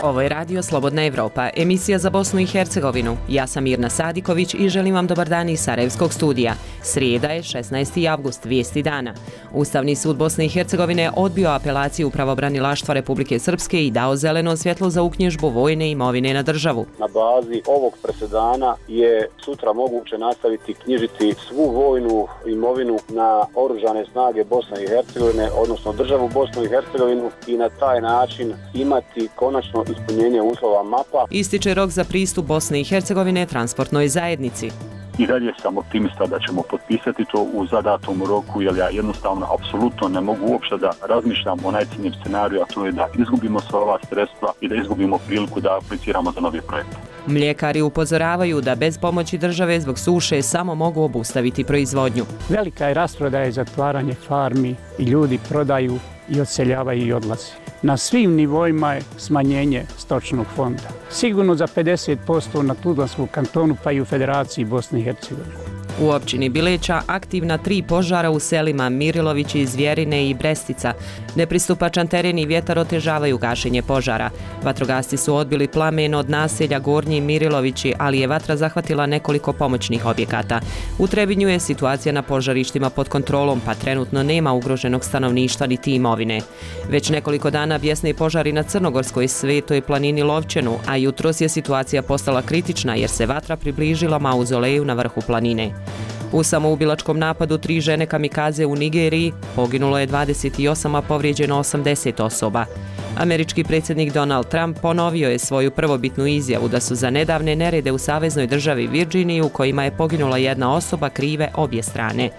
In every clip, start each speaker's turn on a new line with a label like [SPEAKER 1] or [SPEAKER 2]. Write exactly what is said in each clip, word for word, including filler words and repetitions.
[SPEAKER 1] Ovo je Radio Slobodna Evropa, emisija za Bosnu i Hercegovinu. Ja sam Mirna Sadiković i želim vam dobar dan iz Sarajevskog studija. Srijeda je šesnaesti avgust, vijesti dana. Ustavni sud Bosne i Hercegovine odbio apelaciju pravobranilaštva Republike Srpske i dao zeleno svjetlo za uknjižbu vojne imovine na državu.
[SPEAKER 2] Na bazi ovog presedana je sutra moguće nastaviti knjižiti svu vojnu imovinu na oružane snage Bosne i Hercegovine, odnosno državu Bosnu i Hercegovinu, i na taj način imati konačno ispunjenje uslova mapa.
[SPEAKER 1] Ističe rok za pristup Bosne i Hercegovine transportnoj zajednici.
[SPEAKER 3] I dalje sam optimista da ćemo potpisati to u zadatom roku, jer ja jednostavno apsolutno ne mogu uopšte da razmišljam o najcrnjem scenariju, a to je da izgubimo sva ova sredstva i da izgubimo priliku da apliciramo za novi projekt.
[SPEAKER 1] Mljekari upozoravaju da bez pomoći države zbog suše samo mogu obustaviti proizvodnju.
[SPEAKER 4] Velika je rasprodaja i zatvaranje farmi i ljudi prodaju i odseljavaju i odlaze. Na svim nivoima je smanjenje stočnog fonda. Sigurno za pedeset posto na Tuzlanskom kantonu, pa i u Federaciji Bosne i Hercegovine.
[SPEAKER 1] U općini Bileća aktivna tri požara u selima Mirilovići, Zvjerine i Brestica. Nepristupačan teren i vjetar otežavaju gašenje požara. Vatrogasci su odbili plamen od naselja Gornji Mirilovići, ali je vatra zahvatila nekoliko pomoćnih objekata. U Trebinju je situacija na požarištima pod kontrolom, pa trenutno nema ugroženog stanovništva niti imovine. Već nekoliko dana bjesne požari na Crnogorskoj Svetoj planini Lovćenu, a jutros je situacija postala kritična jer se vatra približila mauzoleju na vrhu planine. U samoubilačkom napadu tri žene kamikaze u Nigeriji poginulo je dvadeset osam, a povrijeđeno osamdeset osoba. Američki predsjednik Donald Trump ponovio je svoju prvobitnu izjavu da su za nedavne nerede u saveznoj državi Virginiji u kojima je poginula jedna osoba krive obje strane.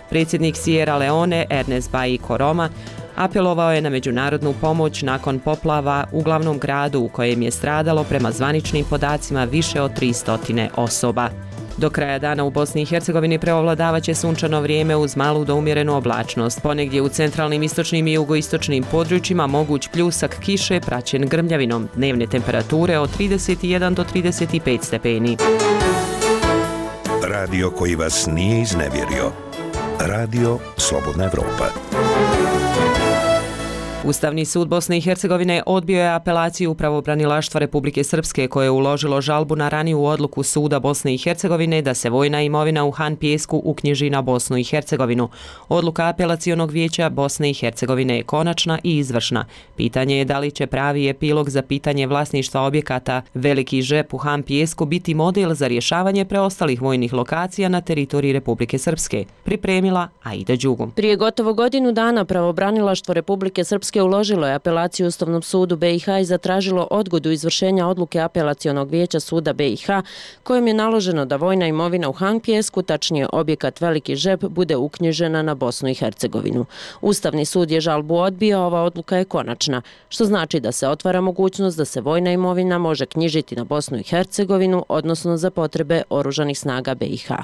[SPEAKER 1] Predsjednik Sierra Leone Ernest Bai Koroma apelovao je na međunarodnu pomoć nakon poplava u glavnom gradu u kojem je stradalo prema zvaničnim podacima više od tristo osoba. Do kraja dana u Bosni i Hercegovini preovladavaće sunčano vrijeme uz malu do umjerenu oblačnost. Ponegdje u centralnim, istočnim i jugoistočnim područjima moguć pljusak kiše praćen grmljavinom. Dnevne temperature od trideset jedan do trideset pet stepeni.
[SPEAKER 5] Radio koji vas nije iznevjerio. Radio Slobodna Evropa.
[SPEAKER 1] Ustavni sud Bosne i Hercegovine odbio je apelaciju pravobranilaštva Republike Srpske koje je uložilo žalbu na raniju odluku suda Bosne i Hercegovine da se vojna imovina u Han Pijesku uknjiži na Bosnu i Hercegovinu. Odluka apelacionog vijeća Bosne i Hercegovine je konačna i izvršna. Pitanje je da li će pravi epilog za pitanje vlasništva objekata Veliki žep u Han Pijesku biti model za rješavanje preostalih vojnih lokacija na teritoriji Republike Srpske. Pripremila Aida Đugum.
[SPEAKER 6] Prije gotovo godinu dana pravobranilaštvo Republike Srpske uložilo je apelaciju Ustavnom sudu B i H i zatražilo odgodu izvršenja odluke apelacionog vijeća suda B i H kojim je naloženo da vojna imovina u Han Pijesku, tačnije objekat Veliki žep, bude uknjižena na Bosnu i Hercegovinu. Ustavni sud je žalbu odbio, ova odluka je konačna, što znači da se otvara mogućnost da se vojna imovina može knjižiti na Bosnu i Hercegovinu, odnosno za potrebe oružanih snaga B i H.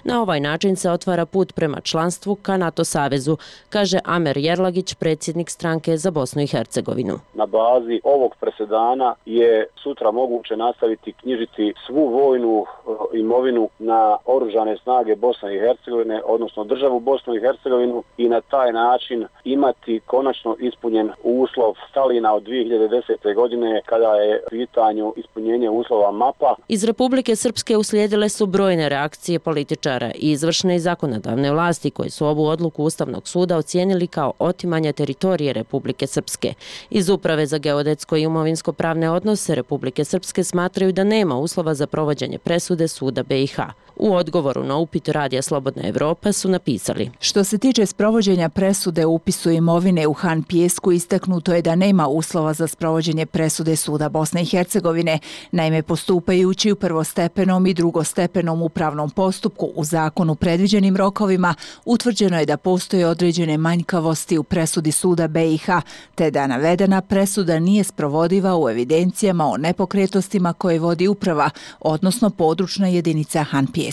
[SPEAKER 6] Na ovaj način se otvara put prema članstvu ka NATO savezu, kaže Amer Jerlagić, predsjednik stranke za Bosnu i Hercegovinu.
[SPEAKER 2] Na bazi ovog presedana je sutra moguće nastaviti knjižiti svu vojnu imovinu na oružane snage Bosne i Hercegovine, odnosno državu Bosnu i Hercegovinu, i na taj način imati konačno ispunjen uslov Stalina od dvije hiljade desete. godine kada je u pitanju ispunjenje uslova mapa.
[SPEAKER 6] Iz Republike Srpske uslijedile su brojne reakcije političara i izvršne i zakonodavne vlasti koji su ovu odluku Ustavnog suda ocijenili kao otimanje teritorije Republike Srpske. Iz Uprave za geodetsko i imovinsko-pravne odnose Republike Srpske smatraju da nema uslova za provođenje presude suda B i H. U odgovoru na upit Radija Slobodna Evropa su napisali:
[SPEAKER 7] Što se tiče sprovođenja presude o upisu imovine u Han Pijesku, istaknuto je da nema uslova za sprovođenje presude suda Bosne i Hercegovine. Naime, postupajući u prvostepenom i drugostepenom upravnom postupku u zakonu predviđenim rokovima, utvrđeno je da postoje određene manjkavosti u presudi suda B i H, te da navedena presuda nije sprovodiva u evidencijama o nepokretnostima koje vodi uprava, odnosno područna jedinica Han Pijesak.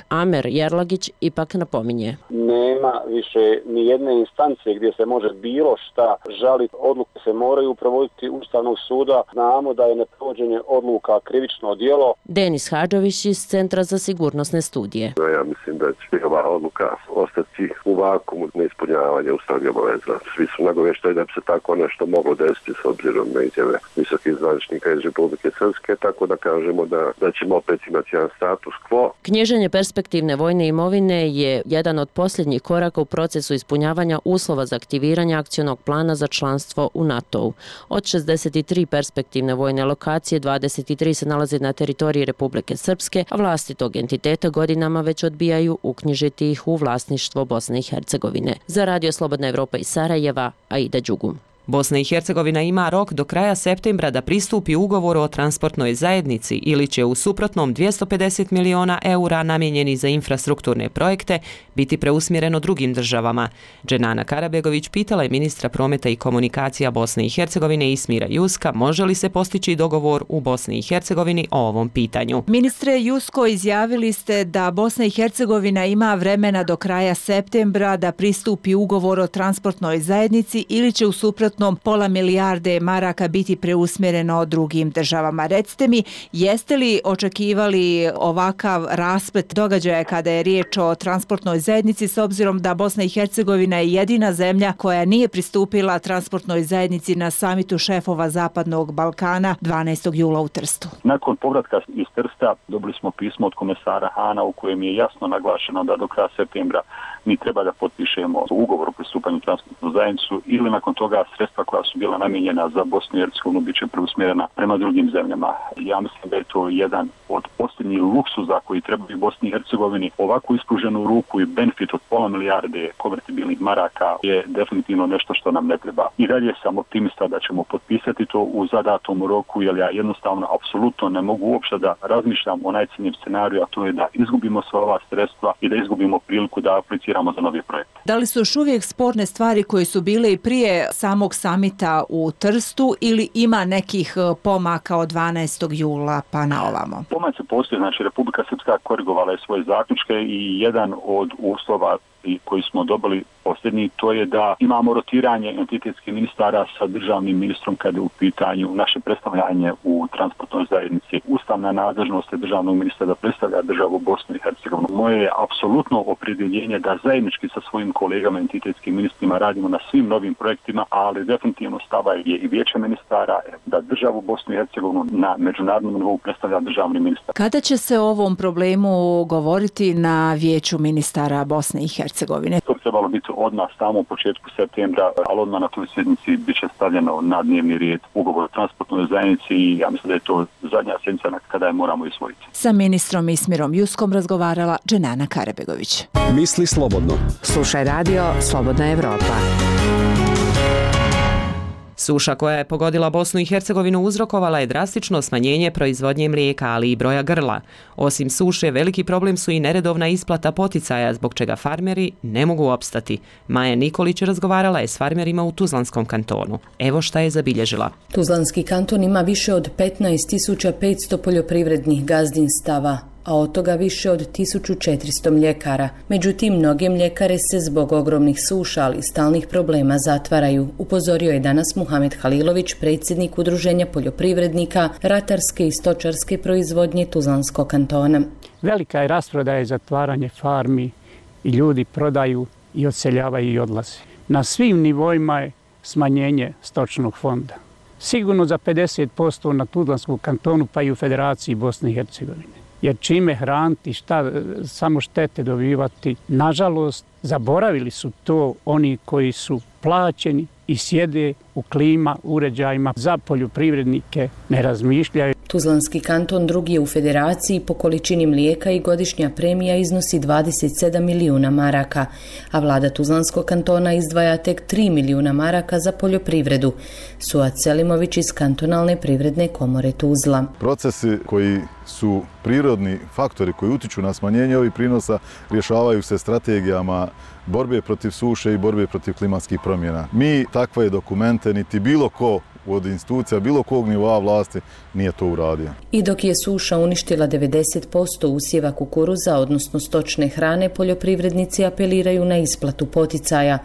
[SPEAKER 6] Amer Jerlagić ipak napominje:
[SPEAKER 2] Nema više ni jedne instance gdje se može bilo šta žaliti. Odluke se moraju provoditi Ustavnog suda. Znamo da je neprovođenje odluka krivično djelo.
[SPEAKER 6] Denis Hadžović iz Centra za sigurnosne studije.
[SPEAKER 8] ja mislim da će ova odluka ostati u vakumu neispunjavanja ustavnih obaveza. Svi su nagovešteni da bi se tako nešto moglo desiti s obzirom na izjave visokih zvaničnika iz Republike Srpske, tako da kažemo da, da ćemo opet imati jedan status quo.
[SPEAKER 6] Knjiženje perspektivne vojne imovine je jedan od posljednjih koraka u procesu ispunjavanja uslova za aktiviranje akcionog plana za članstvo u NATO-u. Od šezdeset tri perspektivne vojne lokacije, dvadeset tri se nalaze na teritoriji Republike Srpske, a vlasti tog entiteta godinama već odbijaju uknjižiti ih u vlasništvo Bosne i Hercegovine. Za Radio Slobodna Evropa iz Sarajeva, Aida Đugum.
[SPEAKER 1] Bosna i Hercegovina ima rok do kraja septembra da pristupi ugovoru o transportnoj zajednici ili će u suprotnom dvjesto pedeset miliona eura namijenjeni za infrastrukturne projekte biti preusmjereno drugim državama. Dženana Karabegović pitala je ministra prometa i komunikacija Bosne i Hercegovine Ismira Juska može li se postići dogovor u Bosni i Hercegovini o ovom pitanju.
[SPEAKER 7] Ministre Jusko, izjavili ste da Bosna i Hercegovina ima vremena do kraja septembra da pristupi ugovor o transportnoj zajednici ili će u suprotnom pola milijarde maraka biti preusmjereno drugim državama. Recite mi, jeste li očekivali ovakav rasplet događaja kada je riječ o transportnoj zajednici s obzirom da Bosna i Hercegovina je jedina zemlja koja nije pristupila transportnoj zajednici na samitu šefova Zapadnog Balkana dvanaestog jula u Trstu?
[SPEAKER 3] Nakon povratka iz Trsta dobili smo pismo od komesara Hana u kojem je jasno naglašeno da do kraja septembra mi treba da potpišemo ugovor o pristupanju transportnoj zajednicu ili nakon toga sredstva koja su bila namijenjena za Bosnu i Hercegovinu biće preusmjerena prema drugim zemljama. Ja mislim da je to jedan od posljednjih luksuza koji trebaju Bosni i Hercegovini. Ovako ispruženu ruku i benefit od pola milijarde konvertibilnih maraka je definitivno nešto što nam ne treba. I dalje sam optimista da ćemo potpisati to u zadatom roku, jer ja jednostavno apsolutno ne mogu uopšte da razmišljam o najcrnjem scenariju, a to je da izgubimo sva ova sredstva i da izgubimo priliku da apliciramo za nove projekte.
[SPEAKER 7] Da li su još uvijek sporne stvari koje su bile i prije samog samita u Trstu ili ima nekih pomaka od dvanaestog jula pa na ovamo?
[SPEAKER 3] Pomaci postoje, znači Republika Srpska korigovala je svoje zaključke i jedan od uslova koji smo dobili posljednji, to je da imamo rotiranje entitetskih ministara sa državnim ministrom kada je u pitanju naše predstavljanje u transportnoj zajednici. Ustavna nadležnost je državnog ministra da predstavlja državu Bosnu i Hercegovinu. Moje je apsolutno opredjeljenje da zajednički sa svojim kolegama entitetskim ministrima radimo na svim novim projektima, ali definitivno stava je i vijeće ministara da državu Bosnu i Hercegovinu na međunarodnom nivou predstavlja državni ministar.
[SPEAKER 7] Kada će se o ovom problemu govoriti na vijeću ministara Bosne i Hercegovine?
[SPEAKER 3] To bi trebalo biti odmah samo u početku septembra, ali odmah na toj sjednici bit će stavljeno na dnevni red ugovor o transportnoj zajednici i ja mislim da je to zadnja sjednica kada je moramo isvojiti.
[SPEAKER 7] Sa ministrom Ismirom Juskom razgovarala Dženana Karabegović.
[SPEAKER 5] Misli slobodno.
[SPEAKER 9] Slušaj radio Slobodna Evropa.
[SPEAKER 1] Suša koja je pogodila Bosnu i Hercegovinu uzrokovala je drastično smanjenje proizvodnje mlijeka, ali i broja grla. Osim suše, veliki problem su i neredovna isplata poticaja, zbog čega farmeri ne mogu opstati. Maja Nikolić razgovarala je s farmerima u Tuzlanskom kantonu. Evo šta je zabilježila.
[SPEAKER 10] Tuzlanski kanton ima više od petnaest tisuća petsto poljoprivrednih gazdinstava, a od toga više od tisuću četiristo mljekara. Međutim, mnoge mljekare se zbog ogromnih suša, ali i stalnih problema zatvaraju, upozorio je danas Muhamed Halilović, predsjednik Udruženja poljoprivrednika, ratarske i stočarske proizvodnje Tuzlanskog kantona.
[SPEAKER 4] Velika je rasprodaja i zatvaranje farmi i ljudi prodaju i odseljavaju i odlaze. Na svim nivoima je smanjenje stočnog fonda. Sigurno za pedeset posto na Tuzlanskom kantonu pa i u Federaciji Bosne i Hercegovine. Jer čime hraniti, šta samo štete dobivati. Nažalost, zaboravili su to oni koji su plaćeni i sjede u klima uređajima za poljoprivrednike, ne razmišljaju.
[SPEAKER 10] Tuzlanski kanton drugi je u federaciji po količini mlijeka i godišnja premija iznosi dvadeset sedam milijuna maraka, a vlada Tuzlanskog kantona izdvaja tek tri milijuna maraka za poljoprivredu. Suad Selimović iz kantonalne privredne komore Tuzla.
[SPEAKER 11] Procesi koji su prirodni faktori koji utiču na smanjenje ovih prinosa rješavaju se strategijama borbe protiv suše i borbe protiv klimatskih promjena. Mi takve dokumente niti bilo ko od institucija bilo kog nivoa vlasti nije to uradio.
[SPEAKER 10] I dok je suša uništila devedeset posto usjeva kukuruza, odnosno stočne hrane, poljoprivrednici apeliraju na isplatu poticaja.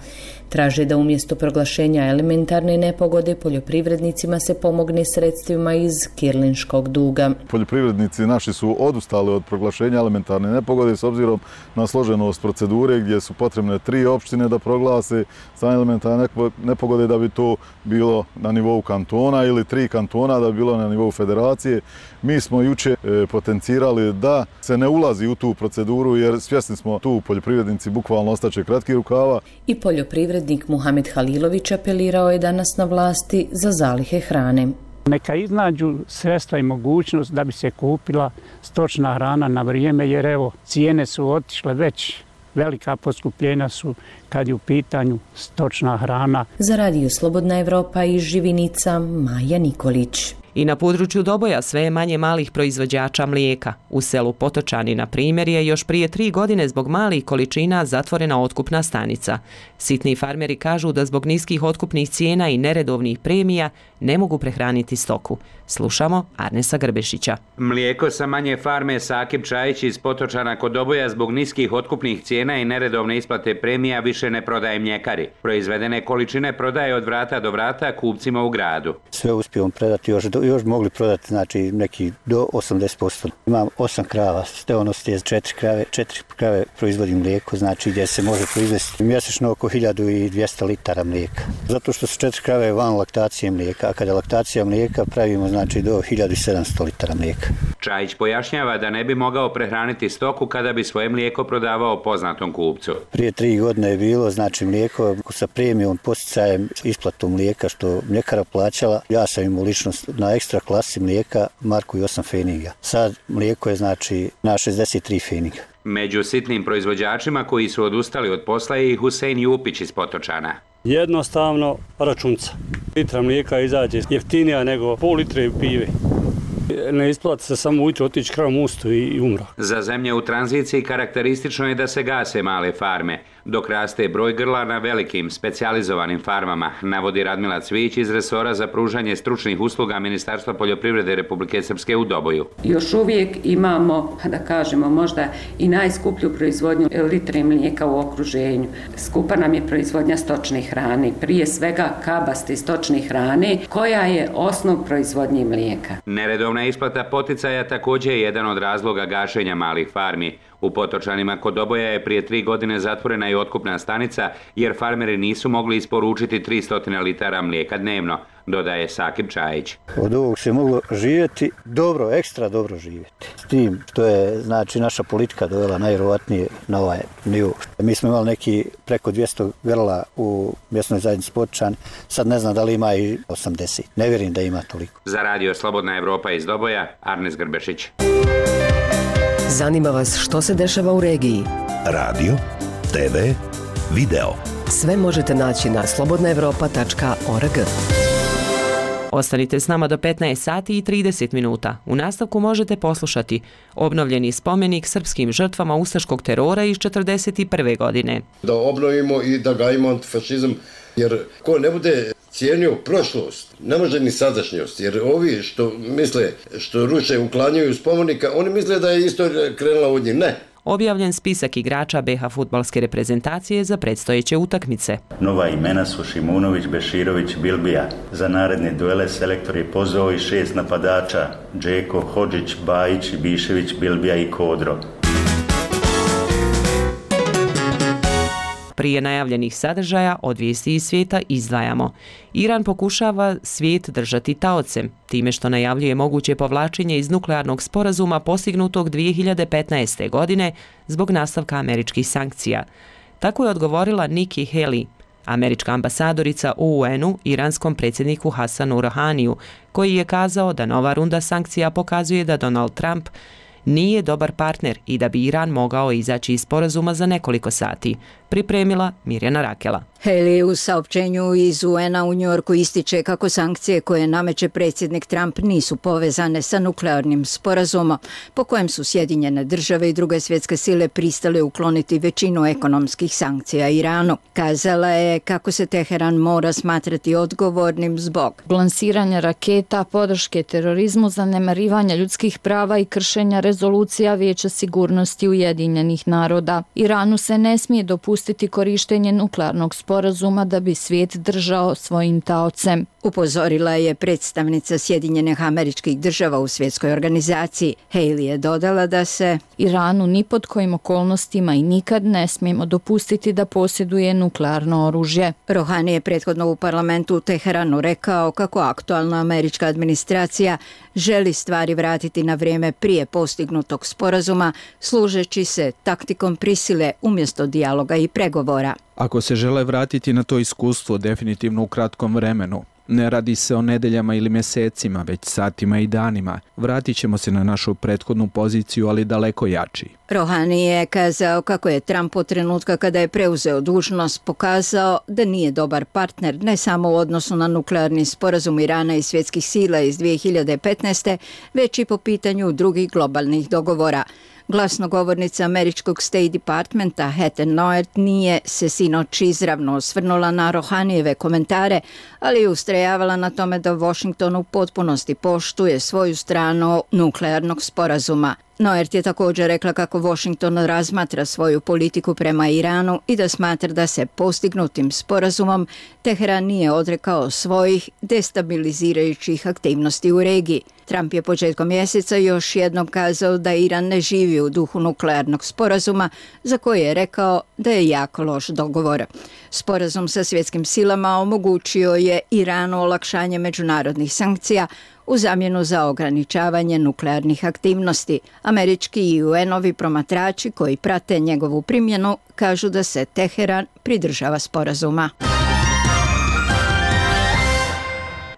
[SPEAKER 10] Traže da umjesto proglašenja elementarne nepogode poljoprivrednicima se pomogne sredstvima iz kirlinškog duga.
[SPEAKER 11] Poljoprivrednici naši su odustali od proglašenja elementarne nepogode s obzirom na složenost procedure gdje su potrebne tri opštine da proglase stanje elementarne nepogode da bi to bilo na nivou kantona ili tri kantona da bi bilo na nivou federacije. Mi smo juče potencirali da se ne ulazi u tu proceduru jer svjesni smo tu poljoprivrednici bukvalno ostaće kratki rukava.
[SPEAKER 10] I poljoprivrednik Muhamed Halilović apelirao je danas na vlasti za zalihe hrane.
[SPEAKER 4] Neka iznađu sredstva i mogućnost da bi se kupila stočna hrana na vrijeme jer evo cijene su otišle već. Velika poskupljenja su kad je u pitanju stočna hrana.
[SPEAKER 10] Za Radio Slobodna Evropa iz Živinica, Maja Nikolić.
[SPEAKER 1] I na području Doboja sve je manje malih proizvođača mlijeka. U selu Potočani, na primjer, je još prije tri godine zbog malih količina zatvorena otkupna stanica. Sitni farmeri kažu da zbog niskih otkupnih cijena i neredovnih premija ne mogu prehraniti stoku. Slušamo Arnesa Grbešića.
[SPEAKER 12] Mlijeko sa manje farme Sakip Čajić iz Potočana kod Doboja zbog niskih otkupnih cijena i neredovne isplate premija više ne prodaje mljekari. Proizvedene količine prodaje od vrata do vrata kupcima u gradu.
[SPEAKER 13] Sve uspijemo predati, još, još mogli prodati znači neki do osamdeset posto. Imam osam krava, steonost je četiri krave, četiri krave proizvodi mlijeko, znači gdje se može proizvesti mjesečno oko hiljadu dvjesto litara mlijeka. Zato što su četiri krave van laktacije mlijeka, a kada je laktacija mlijeka pravimo znači do hiljadu sedamsto litara mlijeka.
[SPEAKER 12] Čajić pojašnjava da ne bi mogao prehraniti stoku kada bi svoje mlijeko prodavao poznatom kupcu.
[SPEAKER 13] Prije tri godine je bilo znači mlijeko sa premijom posticajem isplatu mlijeka što mljekara plaćala. Ja sam imao ličnost na ekstra klasi mlijeka marku i osam feniga. Sad mlijeko je znači na šezdeset tri feniga.
[SPEAKER 12] Među sitnim proizvođačima koji su odustali od posla je i Husein Jupić iz Potočana.
[SPEAKER 14] Jednostavno računca. Litra mlijeka izađe jeftinija nego pol litre pive. Ne isplati se samo ujutro otići kravom ustu i umro.
[SPEAKER 12] Za zemlje u tranziciji karakteristično je da se gase male farme, dok raste broj grla na velikim, specijalizovanim farmama, navodi Radmila Cvić iz resora za pružanje stručnih usluga Ministarstva poljoprivrede Republike Srpske u Doboju.
[SPEAKER 15] Još uvijek imamo, da kažemo, možda i najskuplju proizvodnju litre mlijeka u okruženju. Skupa nam je proizvodnja stočne hrane, prije svega kabaste stočne hrane, koja je osnov proizvodnje mlijeka.
[SPEAKER 12] Neredovna isplata poticaja također je jedan od razloga gašenja malih farmi. U Potočanima kod Doboja je prije tri godine zatvorena i otkupna stanica jer farmeri nisu mogli isporučiti tristo litara mlijeka dnevno, dodaje Sakip Čajić.
[SPEAKER 13] Od ovog se moglo živjeti dobro, ekstra dobro živjeti. S tim što je znači naša politika dovela najvjerovatnije na ovaj nivo. Mi smo imali neki preko dvjesto grla u mjesnoj zajednici Potočan, sad ne znam da li ima i osamdeset. Ne vjerujem da ima toliko.
[SPEAKER 12] Za Radio Slobodna Evropa iz Doboja, Arnes Grbešić.
[SPEAKER 9] Zanima vas što se dešava u regiji?
[SPEAKER 5] Radio, te ve, video.
[SPEAKER 9] Sve možete naći na slobodna evropa tačka org.
[SPEAKER 1] Ostanite s nama do petnaest sati i trideset minuta. U nastavku možete poslušati obnovljeni spomenik srpskim žrtvama ustaškog terora iz četrdeset prve godine.
[SPEAKER 16] Da obnovimo i da gajimo antifašizam, jer ko ne bude cijenio prošlost, ne može ni sadašnjost, jer ovi što misle, što ruše, uklanjaju spomenika, oni misle da je istorija krenula od njih. Ne.
[SPEAKER 1] Objavljen spisak igrača be ha fudbalske reprezentacije za predstojeće utakmice.
[SPEAKER 17] Nova imena su Šimunović, Beširović, Bilbija. Za naredne duele selektor je pozvao i šest napadača: Džeko, Hodžić, Bajić, Bišević, Bilbija i Kodro.
[SPEAKER 1] Prije najavljenih sadržaja od vijesti iz svijeta izdvajamo. Iran pokušava svijet držati taocem, time što najavljuje moguće povlačenje iz nuklearnog sporazuma postignutog dvije hiljade petnaeste. godine zbog nastavka američkih sankcija. Tako je odgovorila Nikki Haley, američka ambasadorica u u enu iranskom predsjedniku Hasanu Rouhaniju, koji je kazao da nova runda sankcija pokazuje da Donald Trump nije dobar partner i da bi Iran mogao izaći iz sporazuma za nekoliko sati, pripremila Mirjana Rakela.
[SPEAKER 18] Haley u saopćenju iz U N-a u Njujorku ističe kako sankcije koje nameće predsjednik Trump nisu povezane sa nuklearnim sporazumom po kojem su Sjedinjene države i druge svjetske sile pristale ukloniti većinu ekonomskih sankcija Iranu. Kazala je kako se Teheran mora smatrati odgovornim zbog
[SPEAKER 19] lansiranja raketa, podrške terorizmu, zanemarivanja ljudskih prava i kršenja rezolucija Vijeća sigurnosti Ujedinjenih naroda. Iranu se ne smije dopustiti korištenje nuklearnog sporazuma da bi svijet držao svojim taocem.
[SPEAKER 18] Upozorila je predstavnica Sjedinjenih Američkih Država u svjetskoj organizaciji. Haley je dodala da se
[SPEAKER 19] Iranu ni pod kojim okolnostima i nikad ne smijemo dopustiti da posjeduje nuklearno oružje.
[SPEAKER 18] Rohani je prethodno u parlamentu u Teheranu rekao kako aktualna američka administracija želi stvari vratiti na vrijeme prije postignutog sporazuma, služeći se taktikom prisile umjesto dijaloga i pregovora.
[SPEAKER 20] Ako se žele vratiti na to iskustvo definitivno u kratkom vremenu, ne radi se o nedeljama ili mjesecima, već satima i danima. Vratit ćemo se na našu prethodnu poziciju, ali daleko jači.
[SPEAKER 18] Rohani je kazao kako je Trump od trenutka kada je preuzeo dužnost pokazao da nije dobar partner ne samo u odnosu na nuklearni sporazum Irana i svjetskih sila iz dvije hiljade petnaeste. već i po pitanju drugih globalnih dogovora. Glasnogovornica američkog State Departmenta Heather Nauert nije se sinoć izravno osvrnula na Rohanijeve komentare, ali je ustrajavala na tome da Washington u potpunosti poštuje svoju stranu nuklearnog sporazuma. Nauert je također rekla kako Washington razmatra svoju politiku prema Iranu i da smatra da se postignutim sporazumom Teheran nije odrekao svojih destabilizirajućih aktivnosti u regiji. Trump je početkom mjeseca još jednom kazao da Iran ne živi u duhu nuklearnog sporazuma, za koji je rekao da je jako loš dogovor. Sporazum sa svjetskim silama omogućio je Iranu olakšanje međunarodnih sankcija u zamjenu za ograničavanje nuklearnih aktivnosti. Američki i U N-ovi promatrači koji prate njegovu primjenu kažu da se Teheran pridržava sporazuma.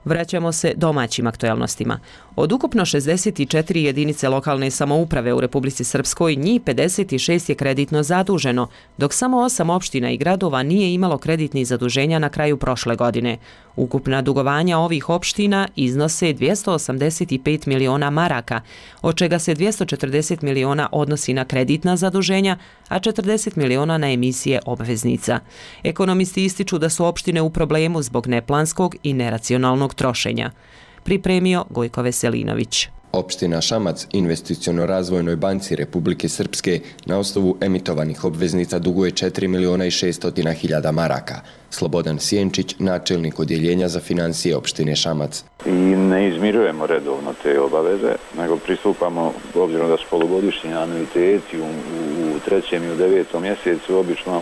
[SPEAKER 1] Vraćamo se domaćim aktuelnostima. Od ukupno šezdeset četiri jedinice lokalne samouprave u Republici Srpskoj, njih pedeset šest je kreditno zaduženo, dok samo osam opština i gradova nije imalo kreditnih zaduženja na kraju prošle godine. Ukupna dugovanja ovih opština iznose dvjesto osamdeset pet miliona maraka, od čega se dvjesto četrdeset miliona odnosi na kreditna zaduženja, a četrdeset miliona na emisije obveznica. Ekonomisti ističu da su opštine u problemu zbog neplanskog i neracionalnog trošenja. Pripremio Gojko Veselinović.
[SPEAKER 21] Opština Šamac Investiciono-razvojnoj banci Republike Srpske na osnovu emitovanih obveznica duguje četiri miliona i šesto hiljada maraka. Slobodan Sjenčić, načelnik odjeljenja za financije opštine Šamac.
[SPEAKER 22] I ne izmirujemo redovno te obaveze, nego pristupamo, obzirom da su polugodišnji anuiteti u, u trećem i u devetom mjesecu, obično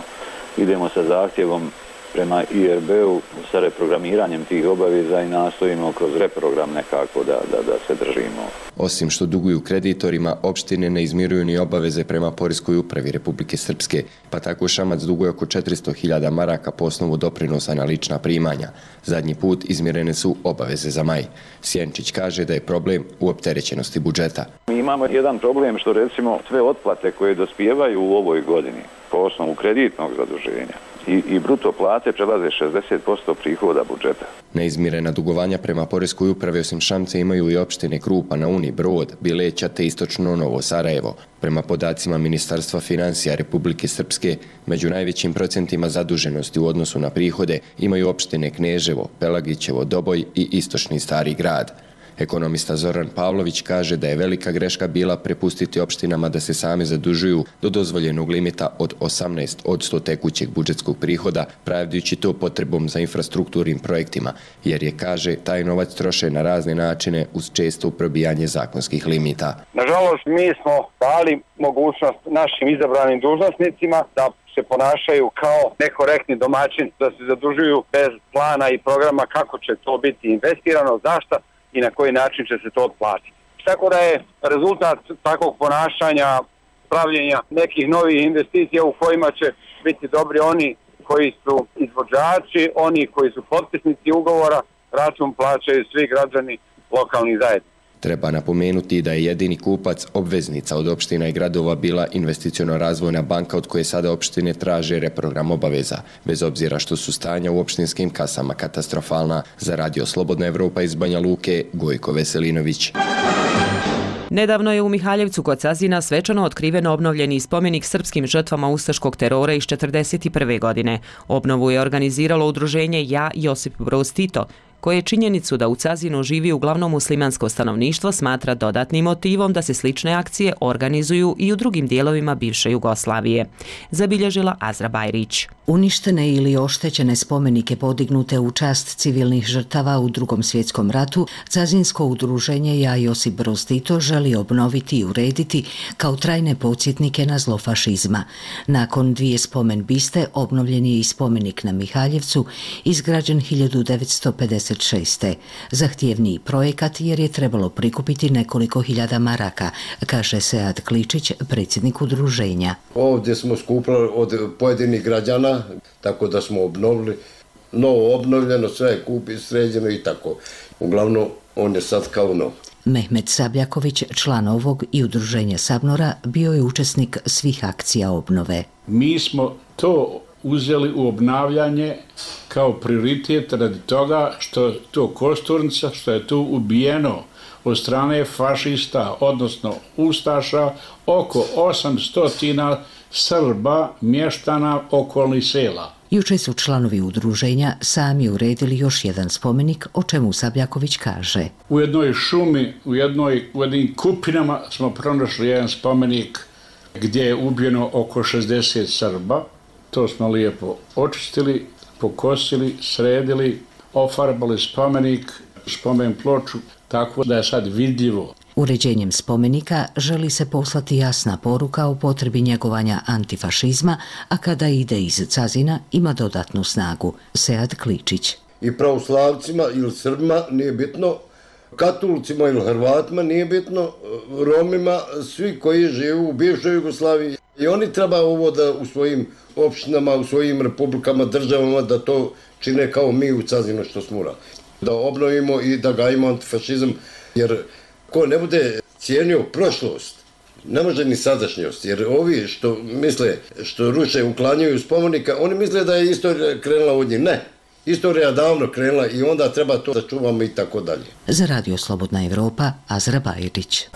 [SPEAKER 22] idemo sa zahtjevom prema I R B-u sa reprogramiranjem tih obaveza i nastojimo kroz reprogram nekako da, da, da se držimo.
[SPEAKER 21] Osim što duguju kreditorima, opštine ne izmiruju ni obaveze prema Poreskoj upravi Republike Srpske, pa tako Šamac duguje oko četiristo hiljada maraka po osnovu doprinosa na lična primanja. Zadnji put izmirene su obaveze za maj. Sjenčić kaže da je problem u opterećenosti budžeta.
[SPEAKER 22] Mi imamo jedan problem što recimo sve otplate koje dospijevaju u ovoj godini po osnovu kreditnog zaduženja I, i bruto plate prelaze šezdeset posto prihoda budžeta.
[SPEAKER 21] Neizmirena dugovanja prema Poreskoj upravi osim Šamca imaju i opštine Krupa na Uni, Brod, Bileća te istočno Novo Sarajevo. Prema podacima Ministarstva financija Republike Srpske, među najvećim procentima zaduženosti u odnosu na prihode imaju opštine Kneževo, Pelagićevo, Doboj i istočni Stari grad. Ekonomista Zoran Pavlović kaže da je velika greška bila prepustiti opštinama da se same zadužuju do dozvoljenog limita od osamnaest odsto tekućeg budžetskog prihoda, pravdajući to potrebom za infrastrukturnim projektima, jer je, kaže, taj novac troše na razne načine uz često probijanje zakonskih limita.
[SPEAKER 23] Nažalost, mi smo dali mogućnost našim izabranim dužnosnicima da se ponašaju kao nekorektni domaćini, da se zadužuju bez plana i programa kako će to biti investirano, zašto i na koji način će se to otplatiti. Tako da je rezultat takvog ponašanja, pravljenja nekih novih investicija u kojima će biti dobri oni koji su izvođači, oni koji su potpisnici ugovora, račun plaćaju svi građani lokalnih zajednica.
[SPEAKER 21] Treba napomenuti da je jedini kupac obveznica od opština i gradova bila Investiciono-razvojna banka od koje sada opštine traže reprogram obaveza, bez obzira što su stanja u opštinskim kasama katastrofalna. Za Radio Slobodna Evropa iz Banja Luke, Gojko Veselinović.
[SPEAKER 1] Nedavno je u Mihaljevcu kod Cazina svečano otkriven obnovljeni spomenik srpskim žrtvama ustaškog terora iz četrdeset prve. godine. Obnovu je organiziralo udruženje Ja Josip Broz Tito, koje činjenicu da u Cazinu živi uglavnom muslimansko stanovništvo smatra dodatnim motivom da se slične akcije organizuju i u drugim dijelovima bivše Jugoslavije. Zabilježila Azra Bajrić.
[SPEAKER 2] Uništene ili oštećene spomenike podignute u čast civilnih žrtava u Drugom svjetskom ratu, Cazinsko udruženje Ja Josip Broz Tito želi obnoviti i urediti kao trajne podsjetnike na zlo fašizma. Nakon dvije spomen biste obnovljen je i spomenik na Mihaljevcu, izgrađen hiljadu devetsto pedeset šeste. Zahtjevniji projekat jer je trebalo prikupiti nekoliko hiljada maraka, kaže Sead Kličić, predsjednik udruženja.
[SPEAKER 16] Ovdje smo skupili od pojedinih građana, tako da smo obnovili, novo obnovljeno, sve je kupi, sređeno i tako. Uglavnom, on je sad kao nov.
[SPEAKER 2] Mehmet Sabljaković, član ovog i udruženja Sabnora, bio je učesnik svih akcija obnove.
[SPEAKER 6] Mi smo to uzeli u obnavljanje kao prioritet radi toga što to Kosturnica, što je tu ubijeno od strane fašista, odnosno ustaša, oko osamsto Srba, mještana okolnih sela.
[SPEAKER 2] Juče su članovi udruženja sami uredili još jedan spomenik, o čemu Sabljaković kaže.
[SPEAKER 6] U jednoj šumi, u, jednoj, u jednim kupinama smo pronašli jedan spomenik gdje je ubijeno oko šezdeset Srba. To smo lijepo očistili, pokosili, sredili, ofarbali spomenik, spomen ploču, tako da je sad vidljivo.
[SPEAKER 2] Uređenjem spomenika želi se poslati jasna poruka o potrebi njegovanja antifašizma, a kada ide iz Cazina ima dodatnu snagu. Sead Kličić.
[SPEAKER 16] I pravoslavcima ili Srbima nije bitno, Katolicima ili Hrvatima nije bitno, Romima, svi koji žive u bivšoj Jugoslaviji. I oni treba ovo da u svojim opštinama, u svojim republikama, državama, da to čine kao mi u Cazinu što smo uradili. Da obnovimo i da gajimo antifašizam, jer ko ne bude cijenio prošlost, ne može ni sadašnjost, jer ovi što misle, što ruše, uklanjaju spomenika, oni misle da je istorija krenula od njih. Ne, istorija davno krenula i onda treba to da čuvamo i tako dalje.
[SPEAKER 2] Za Radio Slobodna Evropa, Azra Bajrić.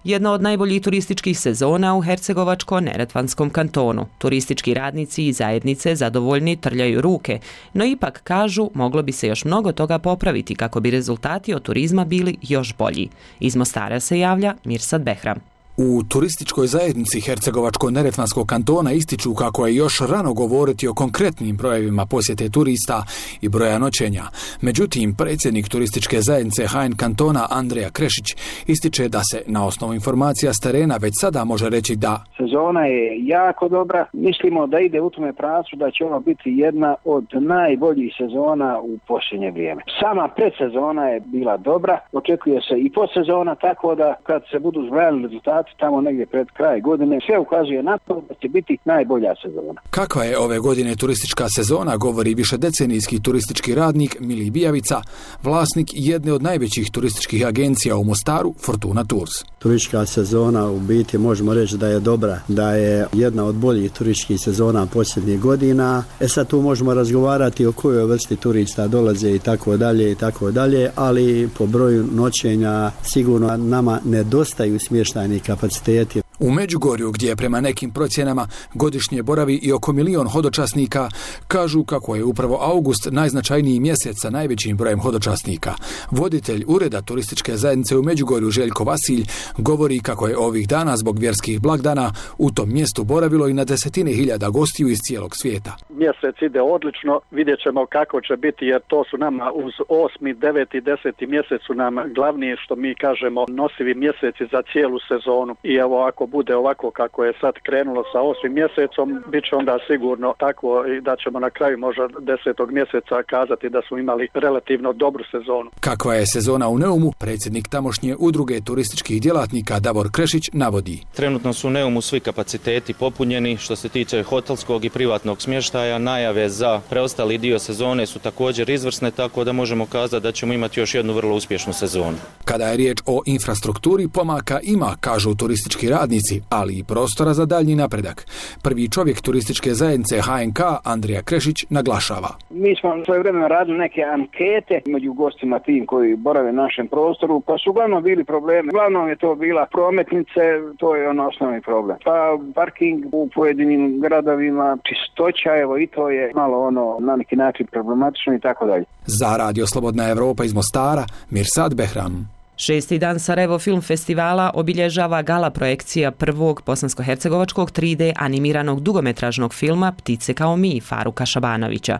[SPEAKER 1] Jedna od najboljih turističkih sezona u Hercegovačko-Neretvanskom kantonu. Turistički radnici i zajednice zadovoljni trljaju ruke, no ipak kažu moglo bi se još mnogo toga popraviti kako bi rezultati od turizma bili još bolji. Iz Mostara se javlja Mirsad Behram.
[SPEAKER 8] U turističkoj zajednici Hercegovačko-Neretvanskog kantona ističu kako je još rano govoriti o konkretnim brojevima posjete turista i broja noćenja. Međutim, predsjednik turističke zajednice H N kantona Andreja Krešić ističe da se na osnovu informacija s terena već sada može reći da
[SPEAKER 24] sezona je jako dobra. Mislimo da ide u tome pravcu da će ovo biti jedna od najboljih sezona u posljednje vrijeme. Sama predsezona je bila dobra, očekuje se i postsezona, tako da kad se budu zbrajali rezultati tamo negdje pred kraj godine, sve ukazuje na to da će biti najbolja sezona.
[SPEAKER 8] Kakva je ove godine turistička sezona, govori višedecenijski turistički radnik Milij Bijavica, vlasnik jedne od najvećih turističkih agencija u Mostaru, Fortuna Tours.
[SPEAKER 25] Turistička sezona u biti možemo reći da je dobra, da je jedna od boljih turističkih sezona posljednjih godina. E sad tu možemo razgovarati o kojoj vrsti turista dolaze i tako dalje i tako dalje, ali po broju noćenja sigurno nama nedostaju smještajni kapaciteti.
[SPEAKER 8] U Međugorju, gdje prema nekim procjenama godišnje boravi i oko milion hodočasnika, kažu kako je upravo august najznačajniji mjesec sa najvećim brojem hodočasnika. Voditelj Ureda turističke zajednice u Međugorju Željko Vasilj govori kako je ovih dana zbog vjerskih blagdana u tom mjestu boravilo i na desetine hiljada gostiju iz cijelog svijeta.
[SPEAKER 26] Mjesec ide odlično, vidjet ćemo kako će biti, jer to su nama uz osmi, deveti, deseti mjesec su nam glavni, što mi kažemo, nosivi mjeseci za cijelu sezonu. I evo, ako bude ovako kako je sad krenulo sa osmim mjesecom, bit će onda sigurno tako i da ćemo na kraju možda desetog mjeseca kazati da smo imali relativno dobru sezonu.
[SPEAKER 8] Kakva je sezona u Neumu, predsjednik tamošnje udruge turističkih djelatnika Davor Krešić navodi.
[SPEAKER 3] Trenutno su u Neumu svi kapaciteti popunjeni što se tiče hotelskog i privatnog smještaja. Najave za preostali dio sezone su također izvrsne, tako da možemo kazati da ćemo imati još jednu vrlo uspješnu sezonu.
[SPEAKER 8] Kada je riječ o infrastrukturi, pomaka ima, kažu turistički radnici, ali i prostora za daljnji napredak. Prvi čovjek turističke zajednice H N K, Andrija Krešić, naglašava.
[SPEAKER 24] Mi smo svoje vremena radili neke ankete među gostima tim koji borave na našem prostoru, pa su uglavnom bili problemi. Uglavnom je to bila prometnice, to je ono osnovni problem. Pa parking u pojedinim gradovima, čistoća, evo i to je malo ono na neki način problematično i tako dalje.
[SPEAKER 8] Za Radio Slobodna Evropa iz Mostara, Mirsad Behram.
[SPEAKER 1] Šesti dan Sarajevo Film Festivala obilježava gala projekcija prvog bosansko-hercegovačkog tri D animiranog dugometražnog filma Ptice kao mi Faruka Šabanovića.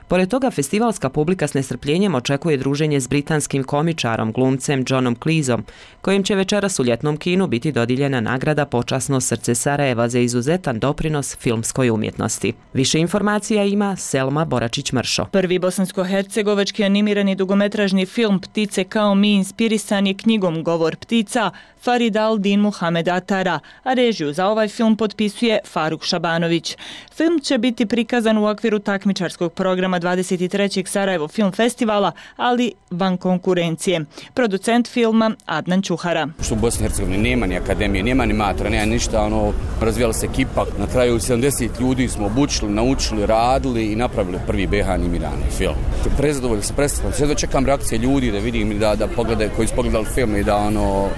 [SPEAKER 1] Pored toga, festivalska publika s nestrpljenjem očekuje druženje s britanskim komičarom, glumcem Johnom Cleeseom, kojem će večeras u ljetnom kinu biti dodijeljena nagrada Počasno srce Sarajeva za izuzetan doprinos filmskoj umjetnosti. Više informacija ima Selma Boračić-Mršo.
[SPEAKER 4] Prvi bosansko-hercegovački animirani dugometražni film Ptice kao mi inspirisan je knjigom Govor ptica Farid al-Din Muhamed Atara, a režiju za ovaj film potpisuje Faruk Šabanović. Film će biti prikazan u okviru takmičarskog programa dvadeset trećeg Sarajevo Film Festivala, ali van konkurencije. Producent filma Adnan Čuhara.
[SPEAKER 7] Što u Bosni i Hercegovini nema ni akademije, nema ni matora, nema ništa, ono, razvijala se ekipa. Na kraju sedamdeset ljudi smo obučili, naučili, radili i napravili prvi B H animirani film. Prezadovoljno se predstavljam, sve dočekam reakcije ljudi da vidim da, da pogledaju, koji su pogledali film i da ono,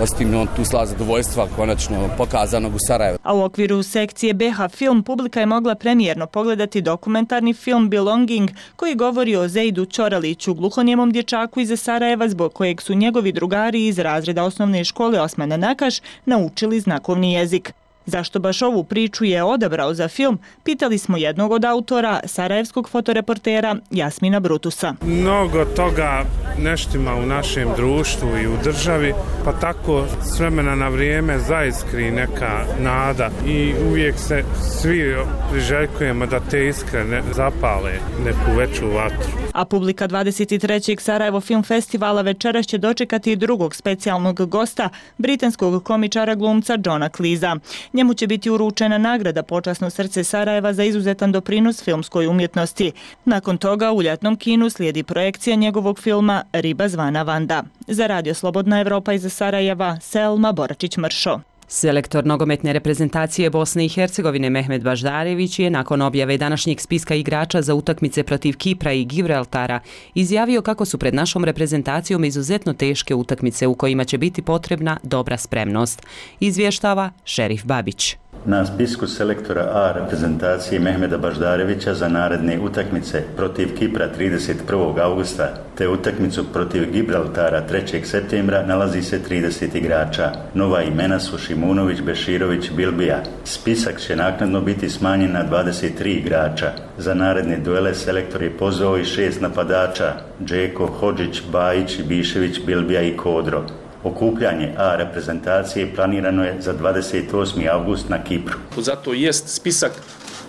[SPEAKER 7] ostim on tu slava zadovoljstva konačno pokazanog u Sarajevu.
[SPEAKER 4] A u okviru sekcije B H Film publika je mogla premijerno pogledati dokumentarni film Belonging koji govori o Zejdu Ćoraliću, gluhonijemom dječaku iz Sarajeva zbog kojeg su njegovi drugari iz razreda osnovne škole Osmana Nakaš naučili znakovni jezik. Zašto baš ovu priču je odabrao za film, pitali smo jednog od autora, sarajevskog fotoreportera Jasmina Brutusa.
[SPEAKER 10] Mnogo toga neštima u našem društvu i u državi, pa tako s vremena na vrijeme zaiskri neka nada i uvijek se svi priželjkujemo da te iskre ne zapale neku veću vatru.
[SPEAKER 4] A publika dvadeset trećeg Sarajevo Film Festivala večeras će dočekati drugog specijalnog gosta, britanskog komičara glumca Johna Cleesea. Njemu će biti uručena nagrada Počasno srce Sarajeva za izuzetan doprinos filmskoj umjetnosti. Nakon toga u ljetnom kinu slijedi projekcija njegovog filma Riba zvana Vanda. Za Radio Slobodna Evropa iz Sarajeva, Selma Boračić-Mršo.
[SPEAKER 1] Selektor nogometne reprezentacije Bosne i Hercegovine Mehmed Baždarević je nakon objave današnjeg spiska igrača za utakmice protiv Kipra i Gibraltara izjavio kako su pred našom reprezentacijom izuzetno teške utakmice u kojima će biti potrebna dobra spremnost. Izvještava Šerif Babić.
[SPEAKER 17] Na spisku selektora A reprezentacije Mehmeda Baždarevića za naredne utakmice protiv Kipra trideset prvog augusta te utakmicu protiv Gibraltara trećeg septembra nalazi se trideset igrača. Nova imena su Šimunović, Beširović, Bilbija. Spisak će naknadno biti smanjen na dvadeset tri igrača. Za naredne duele selektor je pozvao i šest napadača: Džeko, Hodžić, Bajić, Bišević, Bilbija i Kodro. Okupljanje A reprezentacije planirano je za dvadeset osmi avgust na Kipru.
[SPEAKER 11] Zato jest spisak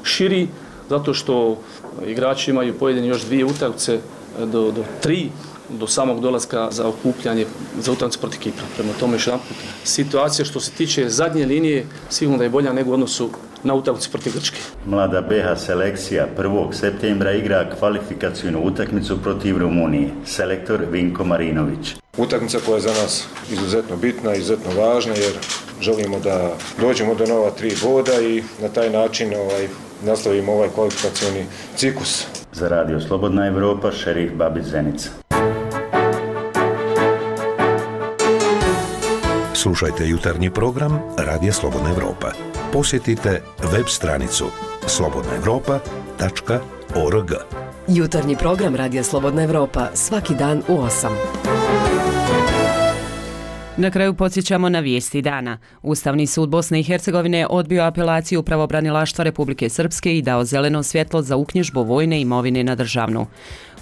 [SPEAKER 11] širi, zato što igrači imaju pojedini još dvije utakmice do, do tri, do samog dolaska za okupljanje za utakmicu protiv Kipra. Prema tome još jedan put, situacija što se tiče zadnje linije sigurno da je bolja nego u odnosu na utakmicu protiv Grčke.
[SPEAKER 17] Mlada B H selekcija prvog septembra igra kvalifikacijnu utakmicu protiv Rumunije. Selektor Vinko Marinović.
[SPEAKER 14] Utakmica koja je za nas izuzetno bitna, izuzetno važna jer želimo da dođemo do nova tri boda i na taj način ovaj, nastavimo ovaj kvalifikacijni ciklus.
[SPEAKER 17] Za Radio Slobodna Evropa, Šerif Babić Zenica.
[SPEAKER 5] Slušajte jutarnji program Radija Slobodna Evropa. Posjetite web stranicu slobodna evropa tačka org.
[SPEAKER 9] Jutarnji program Radija Slobodna Evropa svaki dan u osam.
[SPEAKER 1] Na kraju podsjećamo na vijesti dana. Ustavni sud Bosne i Hercegovine odbio apelaciju pravobranilaštva Republike Srpske i dao zeleno svjetlo za uknjižbu vojne imovine na državnu.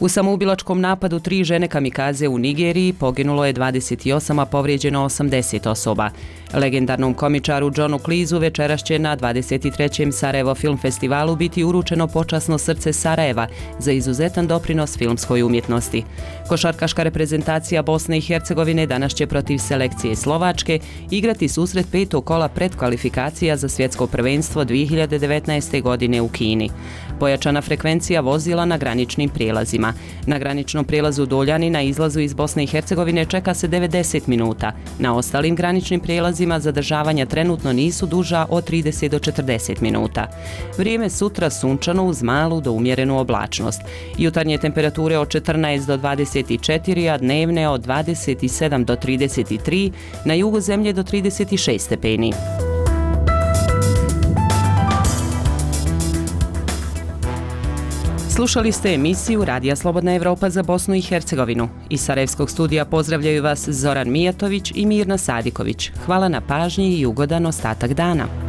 [SPEAKER 1] U samoubilačkom napadu tri žene kamikaze u Nigeriji poginulo je dvadeset osam, a povrijeđeno osamdeset osoba. Legendarnom komičaru Johnu Cleeseu večeras će na dvadeset trećem Sarajevo Film Festivalu biti uručeno počasno srce Sarajeva za izuzetan doprinos filmskoj umjetnosti. Košarkaška reprezentacija Bosne i Hercegovine danas će protiv selekcije Slovačke igrati susret petog kola predkvalifikacija za svjetsko prvenstvo dvije hiljade devetnaeste. godine u Kini. Pojačana frekvencija vozila na graničnim prijelazima. Na graničnom prijelazu Doljani na izlazu iz Bosne i Hercegovine čeka se devedeset minuta. Na ostalim graničnim prijelazima zadržavanja trenutno nisu duža od trideset do četrdeset minuta. Vrijeme sutra sunčano uz malu do umjerenu oblačnost. Jutarnje temperature od četrnaest do dvadeset četiri, a dnevne od dvadeset sedam do trideset tri, na jugu zemlje do trideset šest stepeni. Slušali ste emisiju Radija Slobodna Evropa za Bosnu i Hercegovinu. Iz Sarajevskog studija pozdravljaju vas Zoran Mijatović i Mirna Sadiković. Hvala na pažnji i ugodan ostatak dana.